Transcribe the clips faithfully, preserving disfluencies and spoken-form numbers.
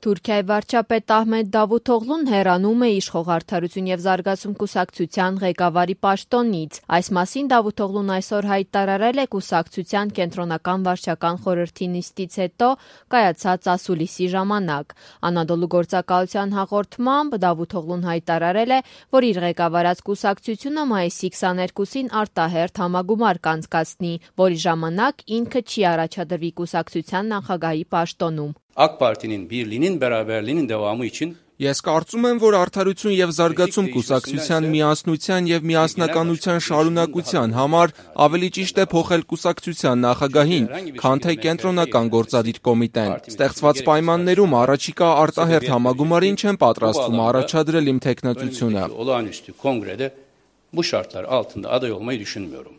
Թուրքիայի վարչապետ Ահմեդ Դավութօղլուն հեռանում է իշխող Արդարություն և զարգացում կուսակցության ղեկավարի պաշտոնից։ Այս մասին Դավութօղլուն այսօր հայտարարել է կուսակցության կենտրոնական վարչական խորհրդի նիստից հետո կայացած ասուլիսի ժամանակ։ Անադոլու գործակալության հաղորդմամբ Դավութօղլուն հայտարարել է, որ իր ղեկավարած կուսակցությունը մայիսի քսաներկուսին արտահերթ համագումար կանցկացնի, որի ժամանակ ինքը չի առաջադրվի կուսակցության նախագահի պաշտոնում։ AK Parti'nin birliğinin beraberliğinin devamı için Ես կարծում եմ, որ Արդարություն և զարգացում կուսակցության միասնության և միասնականության շարունակության համար ավելի ճիշտ է փոխել կուսակցության նախագահին, քան թե կենտրոնական գործադիր կոմիտեն։ Ստեղծված պայմաններում առաջիկա արտահերթ համագումարին չեմ պատրաստվում առաջադրել իմ թեկնածությունը։ olağanüstü kongrede bu şartlar altında aday olmayı düşünmüyorum.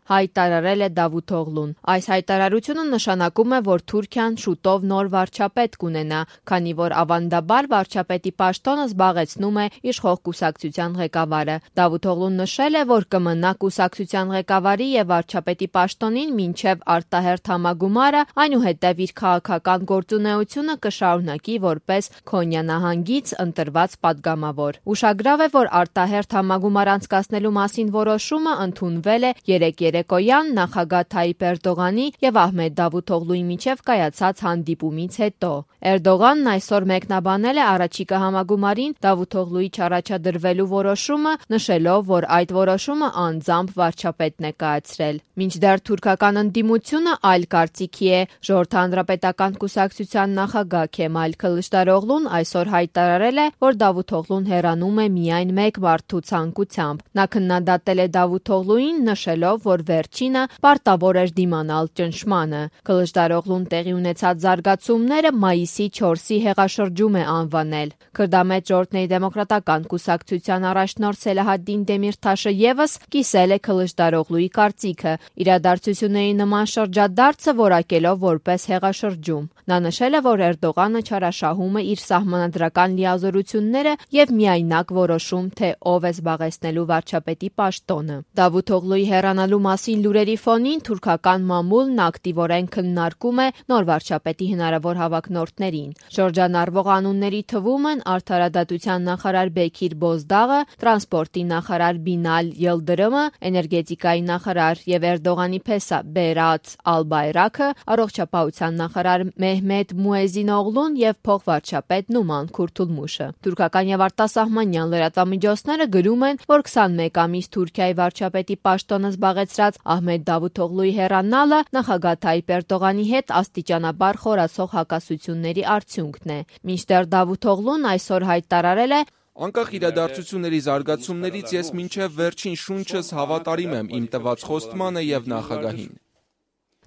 Հայտարարել է Դավութօղլուն։ Այս հայտարարությունը նշանակում է, որ Թուրքիան շուտով նոր վարչապետ կունենա, քանի որ ավանդաբար վարչապետի պաշտոնը զբաղեցնում է իշխող կուսակցության ղեկավարը։ Դավութօղլուն նշել է, որ կմնա կուսակցության ղեկավարի և վարչապետի պաշտոնին մինչև արտահերթ համագումարը, այնուհետև իր քաղաքական գործունեությունը կշարունակի որպես Քոնյա նահանգից ընտրված падգամավոր։ Ուշագրավ է, որ արտահերթ համագումար անցկացնելու մասին որոշումը ընդունվել է երեկ երեկոյան նախագահ Թայիպ Էրդողանի և Ահմեդ Դավութօղլուի միջև կայացած հանդիպումից հետո։ Էրդողանն այսօր մեկնաբանել է առաջիկա համագումարին Դավութօղլուի չառաջադրվելու որոշումը, նշելով, որ այդ որոշումը անձամբ վարչապետն է կայացրել։ Մինչդեռ թուրքական ընդդիմությունը այլ կարծիքի է։ Ժողովրդի հանրապետական կուսակցության նախագահ Քեմալ Քլիչդարօղլուն այսօր հայտարարել է, որ Դավութօղլուն հեռանում է միայն մեկ մարդու ցանկությամբ։ Նա քննադատել է Դավութօղլուին, նշելով, որ վերջինը պարտավոր էր դիմանալ ճնշմանը։ Քլիչդարօղլուն տեղի ունեցած զարգացումները մայիսի չորսի հեղաշրջում է անվանել։ Քրդամետ ժողովրդների դեմոկրատական կուսակցության առաջնորդ Սելահադդին Դեմիրթաշը ևս կիսել է Քլիչդարօղլուի կարծիքը, իրադարձությունների նման շրջադարձը որակելով որպես հեղաշրջում։ Նա նշել է, որ Էրդողանը չարաշահում է իր սահմանադրական լիազորությունները և միայնակ որոշում, թե ով է զբաղեցնելու վարչապետի պաշտոնը։ Դավութօղլուի հեռանալու մասին լուրերի ֆոնին թուրքական մամուլն ակտիվորեն քննարկում է նոր վարչապետի հնարավոր հավակնորդներին։ Շրջանառվող անունների թվում են արդարադատության նախարար Բեքիր Բոզդաղը, տրանսպորտի նախարար Բինալ Յիլդրիմը, էներգետիկայի նախարար և Էրդողանի փեսա Բերաթ Ալբայրաքը, առողջապահության նախարար Մեհմեդ Մուեզինօղլուն և փոխվարչապետ Նուման Քուրթուլմուշը։ Թուրքական և արտասահմանյան լրատվամիջոցները գրում են, որ քսանմեկ ամիս Թուրքիայի վարչապետի պաշտոնը զբաղեցրած Ահմեդ Դավութօղլուի հեռանալը նախագահ Թայիպ Էրդողանի հետ աստիճանաբար խորացող հակասությունների արդյունքն է։ Մինչդեռ Դավութօղլուն այսօր հայտարարել է. Անկախ իրադարձությունների զարգացումներից ես մինչև վերջին շունչս հավատարիմ եմ իմ տված խոստմանը և նախագահին։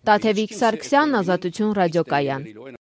Տաթևիկ Սարգսյան, Ազատություն ռադիոկայան։